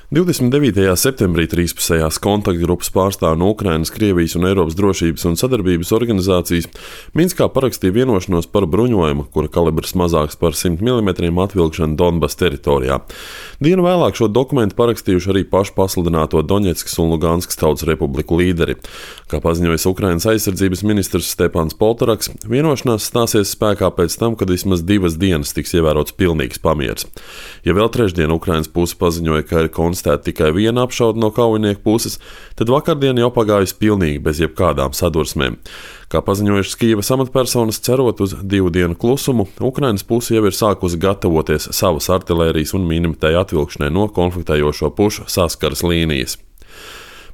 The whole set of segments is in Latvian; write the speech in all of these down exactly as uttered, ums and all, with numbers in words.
divdesmit devītajā septembrī trīspusējās kontaktgrupas pārstāvji no Ukrainas, Krievijas un Eiropas drošības un sadarbības organizācijas Minskā parakstīja vienošanos par bruņojumu, kura kalibrs mazāks par simt milimetriem atvilkšanu Donbas teritorijā. Dienu vēlāk šo dokumentu parakstījuši arī pašu pasludināto Doņetskas un Luganskas tautas republiku līderi. Kā paziņojis Ukrainas aizsardzības ministrs Stepans Poltoraks, vienošanās stāsies spēkā pēc tam, kad vismaz divas dienas tiks ievērots pilnīgs pamieris. Ja vēl trešdien Ukrainas puse paziņoja, ka ir konstatēta tikai viena apšaude no kaujinieku puses, tad vakardien jau pagājusi pilnīgi bez jebkādām sadursmēm. Kā paziņojušas Kijevas amatpersonas, cerot uz divu dienu klusumu, Ukrainas puse jau ir sākusi gatavoties savas artilērijas un mīnimētāju atvilkšanai no konfliktējošo pušu saskares līnijas.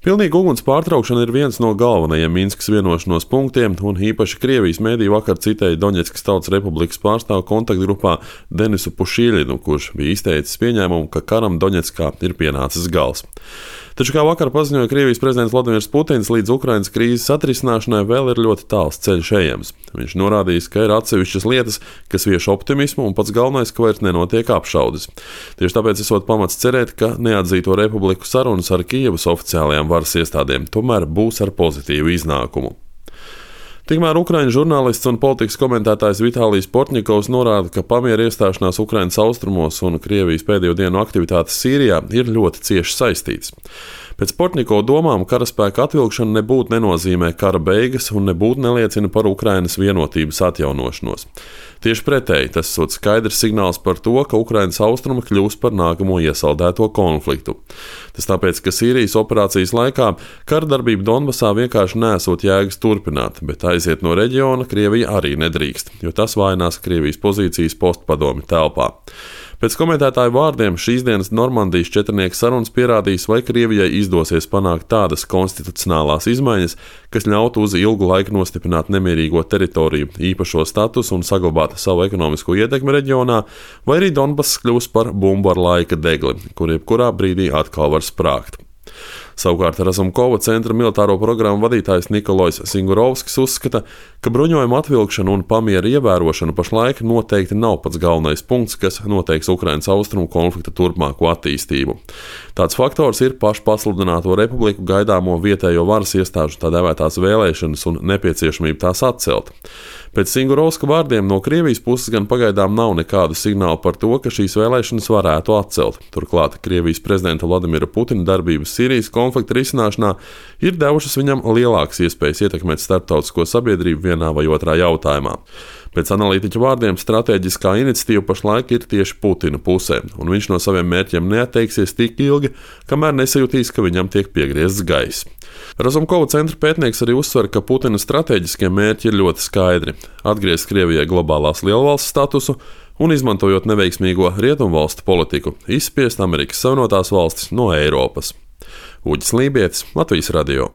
Pilnīga uguns pārtraukšana ir viens no galvenajiem Minskas vienošanos punktiem, un īpaši Krievijas mēdīji vakar citēja Doņetskas tautas republikas pārstāvu kontaktgrupā Denisu Pušīļinu, kurš bija izteicis pieņēmumu, ka karam Doņetskā ir pienācis gals. Taču, kā vakar paziņoja Krievijas prezidents Vladimirs Putins, līdz Ukrainas krīzes atrisināšanai vēl ir ļoti tāls ceļš ejams. Viņš norādījis, ka ir atsevišķas lietas, kas vieš optimismu, un pats galvenais, ka vairs nenotiek apšaudes. Tieši tāpēc esot pamats cerēt, ka neatzīto republiku sarunas ar Kijevas oficiālajām varas iestādēm tomēr būs ar pozitīvu iznākumu. Tikmēr Ukraiņu žurnālists un politikas komentētājs Vitālijs Portņikovs norāda, ka pamiera iestāšanās Ukrainas austrumos un Krievijas pēdējo dienu aktivitātes Sīrijā ir ļoti cieši saistītas. Pēc Portņikova domām karaspēka atvilkšana nebūtu nenozīmē kara beigas un nebūtu neliecina par Ukrainas vienotības atjaunošanos. Tieši pretēji, tas ir skaidrs signāls par to, ka Ukrainas austrumi kļūs par nākamo iesaldēto konfliktu. Tas tāpēc, ka Sīrijas operācijas laikā kara darbība Donbasā vienkārši nesot jēgas turpināt, bet aiziet no reģiona Krievija arī nedrīkst, jo tas vājinās Krievijas pozīcijas postpadomi telpā. Pēc komentētāju vārdiem šīs dienas Normandijas četrnieku sarunas pierādīs, vai Krievijai izdosies panākt tādas konstitucionālās izmaiņas, kas ļautu uz ilgu laiku nostiprināt nemierīgo teritoriju, īpašo statusu un saglabāt savu ekonomisko ietekmi reģionā, vai arī Donbass kļūs par bumbu ar laika degli, kur jebkurā brīdī atkal var sprāgt. Savukārt Razumkova centra militāro programmu vadītājs Nikolojs Singurovskis uzskata, ka bruņojuma atvilkšana un pamiera ievērošana pašlaik noteikti nav pats galvenais punkts, kas noteiks Ukrainas austrumu konflikta turpmāko attīstību. Tāds faktors ir pašu pasludināto republiku gaidāmo vietējo varas iestāžu tā dēvētās vēlēšanas un nepieciešamība tās atcelt. Pēc Singurovska vārdiem no Krievijas puses gan pagaidām nav nekādu signālu par to, ka šīs vēlēšanas varētu atcelt. Turklāt Krievijas prezidenta Vladimira Putina darbības Sīrijas konflikta risināšanā ir devušas viņam lielākas iespējas ietekmēt starptautisko sabiedrību vienā vai otrā jautājumā. Pēc analītiķa vārdiem stratēģiskā iniciatīva pašlaik ir tieši Putina pusē, un viņš no saviem mērķiem neatteiksies tik ilgi, kamēr nesajutīs, ka viņam tiek piegriezts gaiss. Razumkova centra pētnieks arī uzsver, ka Putina stratēģiskie mērķi ir ļoti skaidri – atgriezt Krievijai globālās lielvalsts statusu un, izmantojot neveiksmīgo rietumvalstu politiku, izspiest Amerikas Savienotās valstis no Eiropas. Uģis Lībietis, Latvijas radio.